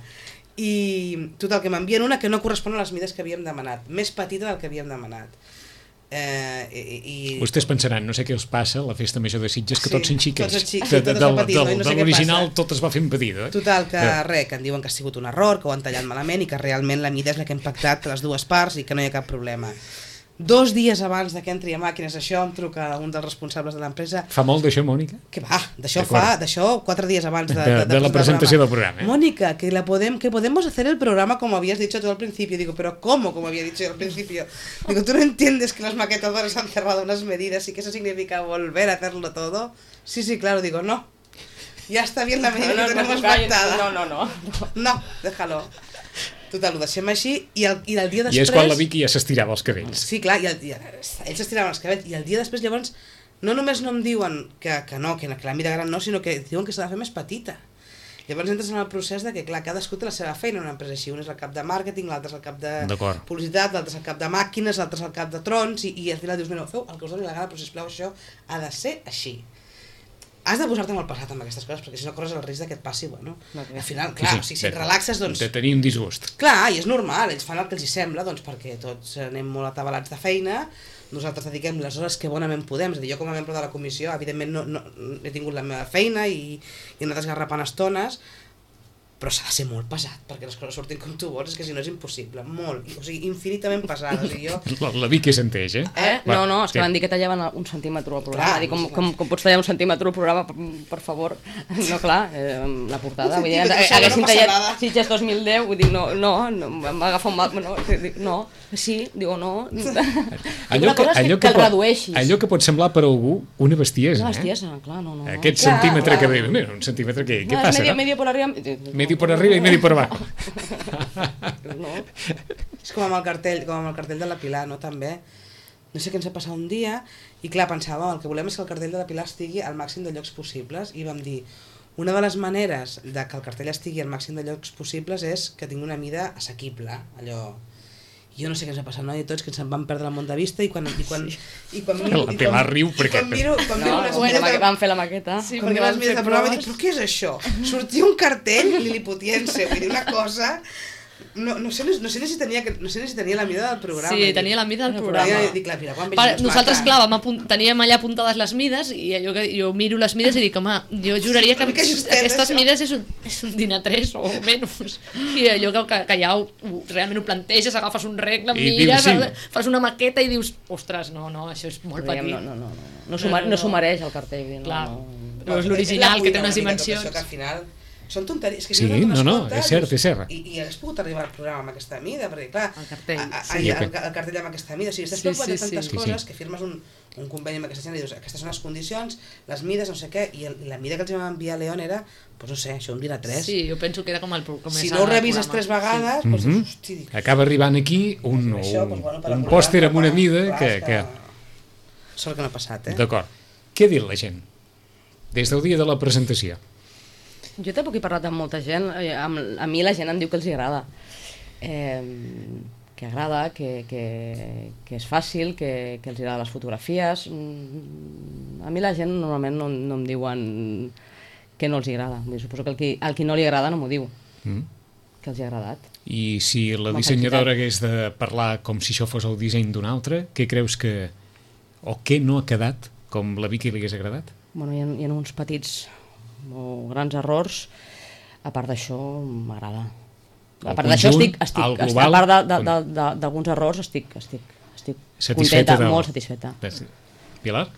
I total, que m'envien una que no correspon a les mides que havíem demanat, més petita del que havíem demanat. Eh, i, i... Vostès pensaran, no sé què els passa a la festa major de Sitges, que Sí, tots són xiquets. tots són xics, de, tot de, es va del, patint, no? del, I no sé de què l'original passa. tot es va fent petit, eh? Total, que Ja. res, que em diuen que ha sigut un error, que ho han tallat malament i que realment la mida és la que hem pactat les dues parts i que no hi ha cap problema. Dos dies abans de que entri a màquines això em truca un dels responsables de l'empresa. Fa molt d'això, Mònica? Que va, d'això D'acord. fa, d'això quatre dies abans de, De- de, de la presentar el presentació del programa, eh? Mónica, que la podem, que podemos hacer el programa como habías dicho tú al principio. Digo, pero ¿cómo como había dicho yo al principio? Digo, ¿tú no entiendes que los maquetadores han cerrado unas medidas y que eso significa volver a hacerlo todo? Sí, sí, claro, digo, no. Ya está bien la medida No, que no, tenemos no, pactada. no, no, no. No, déjalo. Total, ho deixem així i el, i el dia després... I és quan la Vicky ja s'estirava els cabells. Sí, clar, i, el, i el, ells s'estiraven els cabells i el dia després llavors no només no em diuen que, que no, que, que la mida gran no, sinó que diuen que s'ha de fer més petita. Llavors entres en el procés de que, clar, cadascú té la seva feina en una empresa així. Un és el cap de màrqueting, l'altre és el cap de D'acord. publicitat, l'altre és el cap de màquines, l'altre és el cap de trons, i, i al final dius, mira, feu el que us doni la gana, però sisplau, això ha de ser així. Has de posar-te molt passat amb aquestes coses, perquè si no corres el risc de que et passi, bueno, No, clar. al final, clar, o sigui, si et relaxes, doncs... De tenir un disgust. Clar, i és normal, ells fan el que els hi sembla, doncs perquè tots anem molt atabalats de feina, nosaltres dediquem les hores que bonament podem, és a dir, jo com a membre de la comissió, evidentment no, no, he tingut la meva feina i, i he anat esgarrapant estones, però s'ha de ser molt pesat perquè les coses surtin com tu vols, és que si no és impossible, molt, o sigui, infinitament pesat, o sigui, jo... La, la Vicky senteix, eh? Eh? Va, No, no, és que sí. van dir que tallaven un centímetre al programa. Clar, Dic, com, sí, com, com pots tallar un centímetre al programa, per, per favor? No, clar, eh, la portada. Un Vull dir, centímetre, això, haguessin no passa tallat nada. Sitges dos mil deu, vull dir, no, no, no em va agafar un mal... No, dic, no, sí, digo, no. Allò Una cosa és que, que el pot, redueixis. allò que pot semblar per algú una bestiesa, Una eh? bestiesa, clar, no, no. no. Aquest Clar, centímetre clar. que ve, mira, un centímetre que, què No, és passa? medio, no? medio por arriba... Medio por arriba i medio por abajo. No. És com amb el cartell, com amb el cartell de la Pilar, no? També. No sé què ens ha passat un dia, i clar, pensàvem, el que volem és que el cartell de la Pilar estigui al màxim de llocs possibles, i vam dir, una de les maneres de que el cartell estigui al màxim de llocs possibles és que tingui una mida assequible, allò... Jo no sé què ens ha passat, no? I tots que ens en van perdre el món de vista, i quan... I quan, i quan miro, La i Pilar quan, riu i perquè- quan miro, quan No, miro les bueno, mides de- van fer la maqueta. Sí, quan miro les mides de programa dic, però què és això? Sortia un cartell liliputiense, vull dir, una cosa... No, no, sé, no, sé ni si tenia, no sé ni si tenia la mida del programa. Sí, tenia la mida del Però programa. jo dic, la Pilar, quan Per, vegis nosaltres, maca. clar, vam apunt, teníem allà apuntades les mides i allò que jo miro les mides i dic, home, jo juraria que Una mica justet, aquestes això. mides és un, és un dinar tres o menys. I allò que, que, que ja ho, ho, realment ho planteges, agafes un regle, I mires, dius, sí. fas una maqueta i dius, ostres, no, no, això és molt Diguem, petit. no, no, no, no. No s'ho no, no, no mereix el cartell. No, Clar. no. Però és És l'original, la que té cuina unes una mica tot dimensions. això, que al final són tonteries. Que Sí, si no, no, no, comptes, és cert, dius, és cert. I, I hagués pogut arribar al programa amb aquesta mida, perquè clar... El cartell, a, a, sí. sí, el, ok. el cartell amb aquesta mida, o sigui, estàs Sí, preocupat de sí, tantes sí. coses Sí, sí. que firmes un, un conveni amb aquesta gent i dius, aquestes són les condicions, les mides, no sé què, i, el, i la mida que els vam enviar a León era, doncs no sé, això un dia tres. Sí, jo penso que era com el pro- com Si és no ho el revises programa. tres vegades, Mhm. doncs, hosti, dic, Acaba arribant aquí un, Doncs això, un, doncs, bueno, per un acordar, pòster amb una clar, mida clar, que... és que... Sort que no ha passat, eh? D'acord. Què ha dit la gent? Des del dia de la presentació. Jo tampoc he parlat amb molta gent, eh, amb, a mi la gent em diu que els hi agrada, eh, que agrada, que, que, que és fàcil, que, que els agraden les fotografies. Mm, A mi la gent normalment no, no em diuen que no els hi agrada. Vull dir, suposo que el qui, el qui no li agrada no m'ho diu, Mm? que els hi ha agradat. I si la M'ha dissenyadora felicitat. hagués de parlar com si això fos el disseny d'un altre, què creus que... o què no ha quedat com la Vicky li hagués agradat? Bueno, hi ha, hi ha uns petits o grans errors, a part d'això m'agrada. A El part d'això conjunt, estic, estic, el estic global, a part de- de- com- de- de- d'alguns errors estic, estic, estic Satisfeta contenta, del- molt satisfeta. Pilar?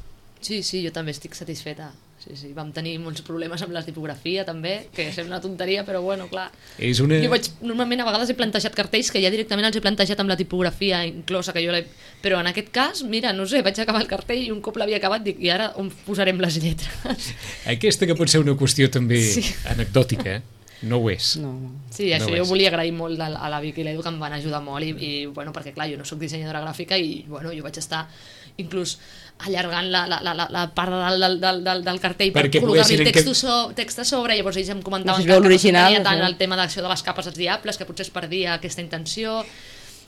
Sí, sí, jo també estic satisfeta. sí, sí. Vam tenir molts problemes amb la tipografia també, que sembla una tonteria, però bueno, clar. És una... Jo vaig, normalment a vegades he plantejat cartells que ja directament els he plantejat amb la tipografia inclosa, que jo l'he... Però en aquest cas, mira, no sé, vaig acabar el cartell i un cop l'havia acabat dic, i ara on posarem les lletres? Aquesta que pot ser una qüestió també Sí. anecdòtica, no ho és. No, no. Sí, això No jo és. volia agrair molt a a la Vicky i l'Edu, que em van ajudar molt i, i bueno, perquè clar, jo no sóc dissenyadora gràfica i bueno, jo vaig estar inclús allargant la, la, la, la part del, del, del, del, del cartell per Perquè col·locar-li poguessin text, enca- so, text a sobre, llavors ells em comentaven No sé si que, veu que l'original, no tenia tant això. el tema d'acció de les capes dels diables, que potser es perdia aquesta intenció.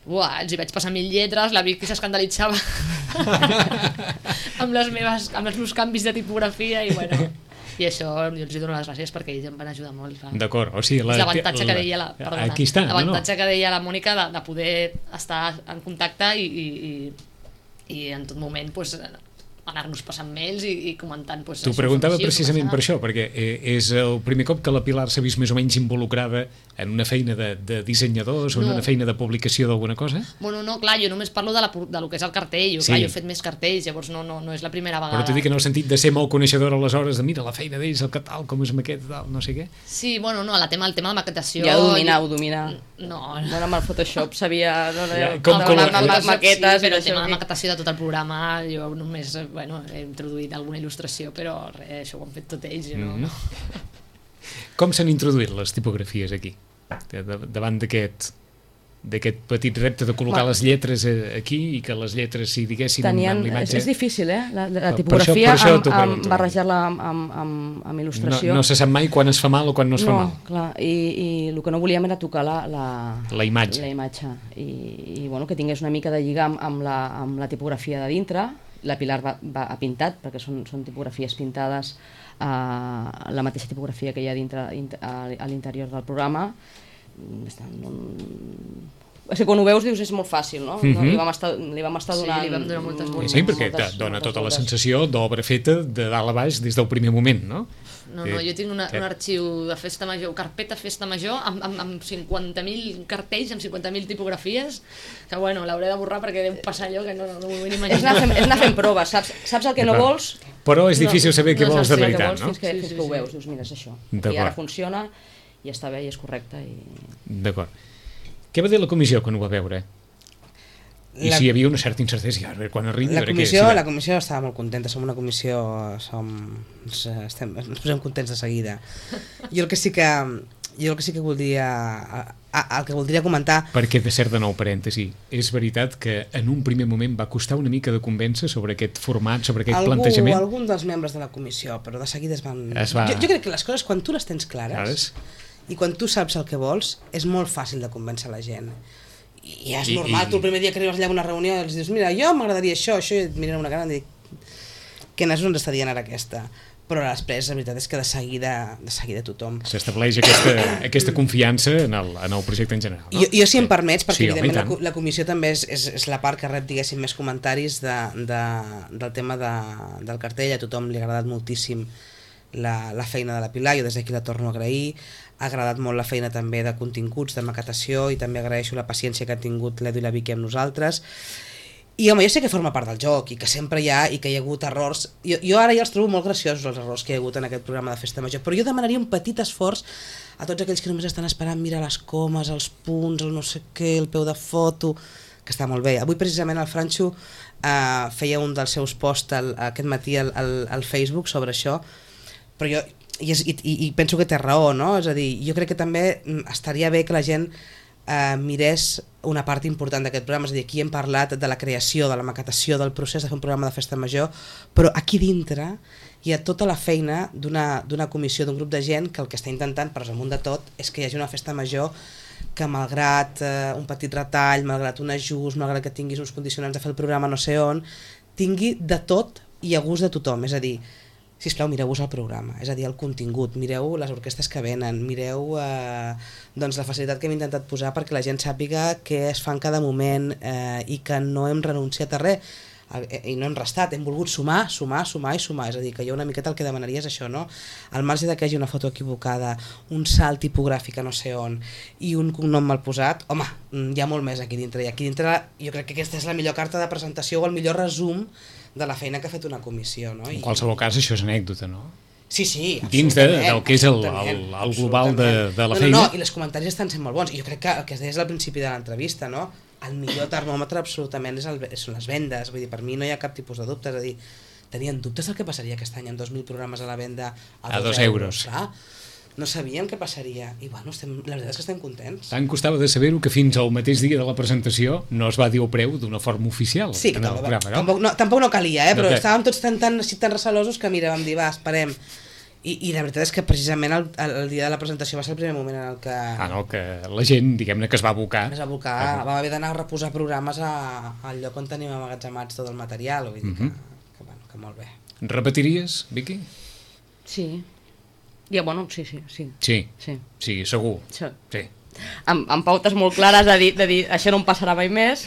Uah, els hi vaig passar mil lletres, la Vicky s'escandalitzava amb les meves, amb els meus canvis de tipografia i bueno, i això jo els hi dono les gràcies perquè ells em van ajudar molt. Clar. D'acord, o sigui... És l'avantatge que deia la, perdona, Aquí està, no, no. l'avantatge que deia la Mònica de, de poder estar en contacte i, i, i, i en tot moment pues, anar-nos passant mails i, i comentant pues, T'ho això, preguntava això, precisament això. per això, perquè eh, és el primer cop que la Pilar s'ha vist més o menys involucrada en una feina de, de dissenyadors o en No. una feina de publicació d'alguna cosa? Bueno, no, clar, jo només parlo de, la, de lo que és el cartell, jo, Sí. clar, jo he fet més cartells, llavors no, no, no és la primera vegada. Però t'ho dic en el sentit de ser molt coneixedora aleshores, de mira la feina d'ells, el que tal, com és maquet, tal, no sé què. Sí, bueno, no, el tema, el tema de maquetació... Ja ho dominar, ho dominar. No, Bueno, amb el Photoshop sabia... No, no, Ja, no, com- no, com- amb, amb, amb maquetes... sí, però i el tema això, de maquetació de tot el programa jo només, eh, bueno, he introduït alguna il·lustració, però res, això ho han fet tot ells, jo no... Mhm. Com s'han introduït les tipografies aquí? De, de, davant d'aquest d'aquest petit repte de col·locar Ma- les lletres eh, aquí i que les lletres s'hi diguessin Tenien, amb és, l'imatge... és difícil, eh? La, la Per això- tipografia, per això amb, t'ho amb, pregunto. barrejar-la amb, amb, amb, amb no, il·lustració. no se sap mai quan es fa mal o quan no es fa no, mal. clar, i, i el que no volíem era tocar la, la, La imatge. la imatge. I, i bueno, que tingués una mica de lligar amb, amb, la, amb la tipografia de dintre. La Pilar va, va, ha pintat, perquè són, són tipografies pintades a uh, la mateixa tipografia que hi ha dintre int- a, a l'interior del programa. Està, no, o sigui, quan ho veus dius és molt fàcil, no? Mhm. no li, vam estar, li vam estar Sí, donant... li vam donar moltes voltes. Sí, perquè moltes- te dona moltes tota la voltes. sensació d'obra feta de dalt a baix des del primer moment, no? No, no, Eh, jo tinc una, sí. un arxiu de festa major, carpeta festa major, amb, amb, amb cinquanta mil cartells, amb cinquanta mil tipografies, que bueno, l'hauré de borrar perquè deu passar allò que no, no, no m'ho vull ni És imaginar. anar, fent, és anar fent proves, saps, saps el que no D'acord. vols? Però és difícil saber què no vols saps de el que veritat, vols no? Fins que, Sí, fins sí, que ho sí. veus, dius, mira, és això. D'acord. I ara funciona, i està bé, i és correcte. I... D'acord. Què va dir la comissió quan ho va veure? I La- si hi havia una certa incertesa, ja, a veure quan arribi... a La veure comissió, què, la comissió estava molt contenta, som una comissió, som, ens, estem, ens posem contents de seguida. Jo el que sí que, jo el que sí que voldria, a, a, el que voldria comentar, Perquè, de cert, de nou parèntesi, és veritat que en un primer moment va costar una mica de convèncer sobre aquest format, sobre aquest algú, plantejament. algun dels membres de la comissió, però de seguida es van... Es va- jo, jo crec que les coses, quan tu les tens clares, Clares. i quan tu saps el que vols, és molt fàcil de convèncer la gent. I ja és I- normal, i- tu el primer dia que arribes allà a una reunió els dius, mira, jo m'agradaria això, això, i et miren una cara i dic, que no és on està dient ara aquesta. Però després, la veritat és que de seguida, de seguida tothom... S'estableix aquesta, aquesta confiança en el, en el projecte en general. No? Jo, jo si em permets, perquè Sí, home, i evidentment la, tant. co- la comissió també és, és, és la part que rep, diguéssim, més comentaris de, de, del tema de, del cartell. A tothom li ha agradat moltíssim la, la feina de la Pilar, jo des d'aquí la torno a agrair. Ha agradat molt la feina també de continguts, de maquetació, i també agraeixo la paciència que ha tingut l'Edu i la Vicky amb nosaltres. I home, jo sé que forma part del joc i que sempre hi ha i que hi ha hagut errors. Jo, jo ara ja els trobo molt graciosos els errors que hi ha hagut en aquest programa de Festa Major, però jo demanaria un petit esforç a tots aquells que només estan esperant mirar les comes, els punts, el no sé què, el peu de foto, que està molt bé. Avui precisament el Franxo eh, feia un dels seus posts el, aquest matí al, al, al Facebook sobre això, però jo i, és, i, i penso que té raó, no? És a dir, jo crec que també estaria bé que la gent eh, mirés una part important d'aquest programa, és a dir, aquí hem parlat de la creació, de la maquetació, del procés de fer un programa de festa major, però aquí dintre hi ha tota la feina d'una d'una comissió, d'un grup de gent que el que està intentant, per amunt de tot, és que hi hagi una festa major que malgrat eh, un petit retall, malgrat un ajust, malgrat que tinguis uns condicionants de fer el programa no sé on, tingui de tot i a gust de tothom, és a dir, sisplau, mireu-vos el programa, és a dir, el contingut, mireu les orquestres que venen, mireu eh, doncs la facilitat que hem intentat posar perquè la gent sàpiga què es fa en cada moment eh, i que no hem renunciat a res eh, i no hem restat, hem volgut sumar, sumar, sumar i sumar, és a dir, que jo una miqueta el que demanaria és això, no? Al marge de que hi hagi una foto equivocada, un salt tipogràfic a no sé on i un cognom mal posat, home, hi ha molt més aquí dintre, i aquí dintre jo crec que aquesta és la millor carta de presentació o el millor resum de la feina que ha fet una comissió, no? En I, qualsevol cas, això és anècdota, no? Sí, sí, dins de, absolutament, del que és el, el, absolutament, el global de, de la no, feina. No, no, i els comentaris estan sent molt bons. I jo crec que el que es deies al principi de l'entrevista, no? El millor termòmetre absolutament és el, són les vendes. Vull dir, per mi no hi ha cap tipus de dubte. És a dir, tenien dubtes del que passaria aquest any amb dos mil programes a la venda a, A dos, dos euros. euros. Clar, no sabíem què passaria. I bueno, estem, la veritat és que estem contents. Tant costava de saber-ho que fins al mateix dia de la presentació no es va dir el preu d'una forma oficial. Sí, en el tampoc, programa, no? tampoc, no, tampoc no calia, eh? No però que... estàvem tots tan, tan, tan recelosos que mira, vam dir, va, esperem. I, i la veritat és que precisament el, el dia de la presentació va ser el primer moment en el que... Ah, no, que la gent, diguem-ne, que es va abocar. Es va abocar, ah, vam haver d'anar a reposar programes a, al lloc on tenim amagatzemats tot el material, vull dir que, Mhm. que, bueno, que molt bé. Repetiries, Vicky? Sí. Ja, bueno, sí, sí, sí. Sí, Sí. sí, segur. Sí. Sí. Amb, amb pautes molt clares de dir, de dir això no em passarà mai més,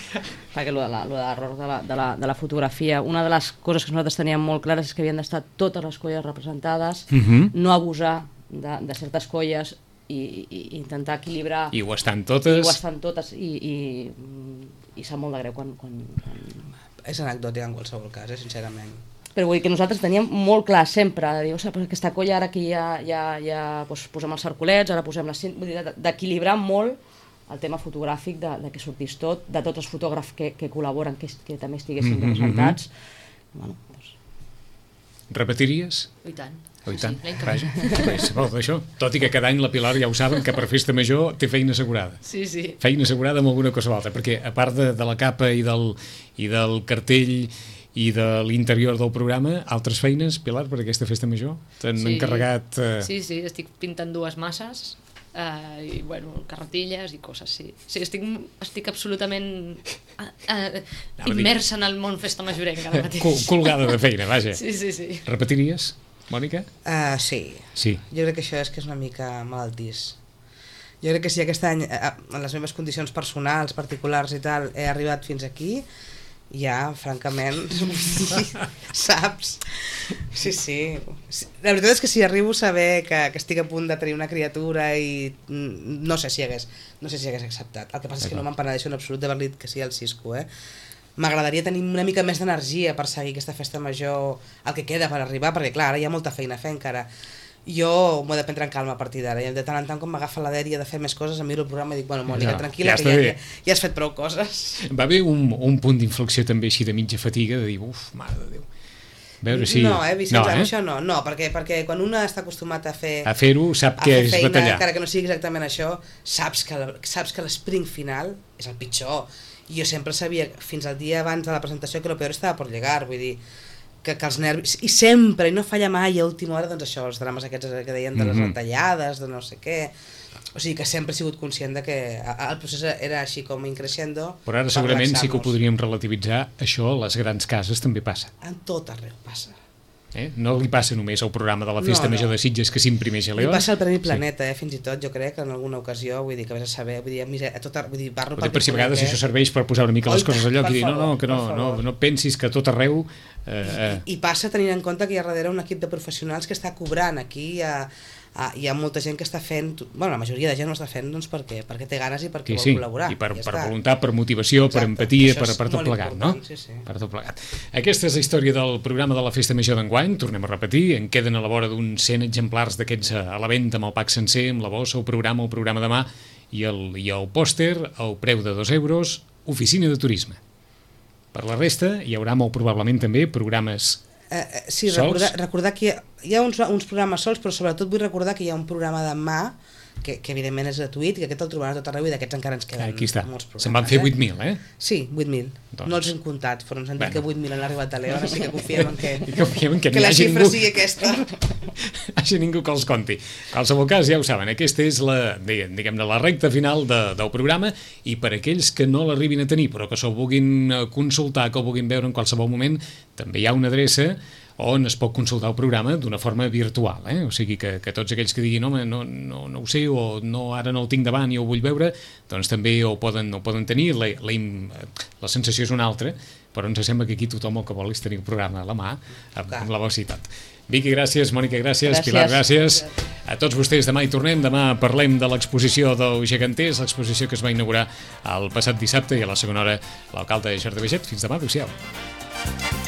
perquè lo de la, lo de l'error de, la, de, la, de la fotografia, una de les coses que nosaltres teníem molt clares és que havien d'estar totes les colles representades, Mhm. no abusar de, de certes colles i, i, i intentar equilibrar, I ho estan i totes. ho estan totes, i, i, i sap molt de greu quan, quan, quan... És anecdòtic en qualsevol cas, eh, sincerament. Però vull dir que nosaltres teníem molt clar sempre, de dir, ostres, aquesta colla ara que ja, ja, ja doncs, posem els circulets, ara posem les cint... Vull dir, de- d'equilibrar molt el tema fotogràfic, de, de que sortís tot, de tots els fotògrafs que, que col·laboren, que, que també estiguessin Mhm, representats. Bueno, doncs... Repetiries? I tant. Oh, i tant. Sí, l'any que ve. Vaja, bé, sabeu d'això. Tot i que cada any la Pilar ja ho saben, que per festa major té feina assegurada. Sí, sí. Feina assegurada amb alguna cosa o altra, perquè a part de, de la capa i del, i del cartell i de l'interior del programa, altres feines, Pilar, per aquesta festa major? T'han Sí. encarregat... Eh... Sí, sí, estic pintant dues masses eh, i, bueno, carretilles i coses, sí. Sí, estic, estic absolutament eh, eh, Anava a dir- immersa en el món festa majorenca ara mateix. Col colgada de feina, vaja. Sí, sí, sí. Repetiries, Mònica? Uh, sí, Sí. jo crec que això és que és una mica malaltís. Jo crec que si aquest any, eh, en les meves condicions personals, particulars i tal, he arribat fins aquí, ja, francament, saps? Sí, sí. La veritat és que si arribo a saber que, que estic a punt de tenir una criatura i mm, no sé si hagués, no sé si hagués acceptat. El que passa és que no me'n penedeixo en absolut d'haver dit que sí al Cisco, eh? M'agradaria tenir una mica més d'energia per seguir aquesta festa major, el que queda per arribar, perquè clar, ara hi ha molta feina a fer encara. Jo m'ho he de prendre en calma a partir d'ara, i de tant en tant quan m'agafa la dèria de fer més coses, em miro el programa i dic, bueno, Mònica, Ja, tranquil·la, ja que està ja, bé. ja, ja has fet prou coses. Va haver un, un punt d'inflexió també així de mitja fatiga, de dir, uf, mare de Déu. A veure si... No, eh, Vicenç, no, eh? això no, no, perquè, perquè quan un està acostumat a fer... A fer-ho sap a que fer és feina, batallar. encara que no sigui exactament això, saps que, la, saps que l'esprint final és el pitjor. I jo sempre sabia, fins al dia abans de la presentació, que el peor estava per llegar, vull dir, que, que els nervis... I sempre, i no falla mai a última hora, doncs això, els drames aquests que deien de les Mhm. retallades, de no sé què... O sigui que sempre he sigut conscient de que el procés era així com increixendo. Però ara per segurament sí que ho relaxar-nos. podríem relativitzar. Això a les grans cases també passa. En tot arreu passa. Eh? No li passa només al programa de la Festa No, no. Major de Sitges que s'imprimeix a Li León. passa el Premi Planeta, eh, fins i tot, jo crec, en alguna ocasió, vull dir, que vés a saber, vull dir, a, mise- a tot, ar- vull dir, parlo Potser per si a vegades eh? això serveix per posar una mica les Oi, coses a lloc per i dir, no, no, favor, que no, per no, favor. no pensis que a tot arreu... Eh, eh, I passa tenint en compte que hi ha darrere un equip de professionals que està cobrant. Aquí hi ha, a, hi ha molta gent que està fent, bueno, la majoria de gent ho està fent doncs perquè, perquè té ganes i perquè sí, vol sí, col·laborar. i per, ja per està. voluntat, per motivació, per Exacte, empatia, això per, és per tot molt plegat, no? important, sí, sí. Per tot plegat. Aquesta és la història del programa de la Festa Major d'enguany, tornem a repetir, en queden a la vora d'uns cent exemplars d'aquests a la venda amb el pack sencer, amb la bossa, el programa, el programa de mà i el, i el pòster, el preu de dos euros, oficina de turisme. Per la resta hi haurà molt probablement també programes... Eh, eh, sí, Sols? recordar, recordar que hi ha, hi ha uns, uns programes sols, però sobretot vull recordar que hi ha un programa de mà que, que evidentment és gratuït i que aquest el trobarà a tot arreu i d'aquests encara ens queden Aquí està, molts programes. se'n van fer eh? vuit mil, eh? Sí, vuit mil. Doncs- No els hem comptat, però ens han dit Bueno. que vuit mil han arribat a l'Eon, així que confiem en que, I confiem en que, que n'hi la hagi xifra ningú, sigui aquesta. hagi ningú que els conti. En qualsevol cas, ja ho saben, aquesta és la, diguem-ne, la recta final de, del programa i per aquells que no l'arribin a tenir, però que se'l vulguin consultar, que el vulguin veure en qualsevol moment, també hi ha una adreça on es pot consultar el programa d'una forma virtual, eh? O sigui que, que tots aquells que diguin home, no, no, no ho sé, o no, ara no el tinc davant i ho vull veure, doncs també ho poden, ho poden tenir, la, la, la sensació és una altra, però ens sembla que aquí tothom el que vol és tenir el programa a la mà, amb, amb la vostra ciutat. Vicky, gràcies, Mònica, gràcies, Gràcies. Pilar, gràcies. A tots vostès, demà hi tornem, demà parlem de l'exposició del Geganters, l'exposició que es va inaugurar el passat dissabte i a la segona hora l'alcalde Jordi Baiget. Fins demà, adéu-siau.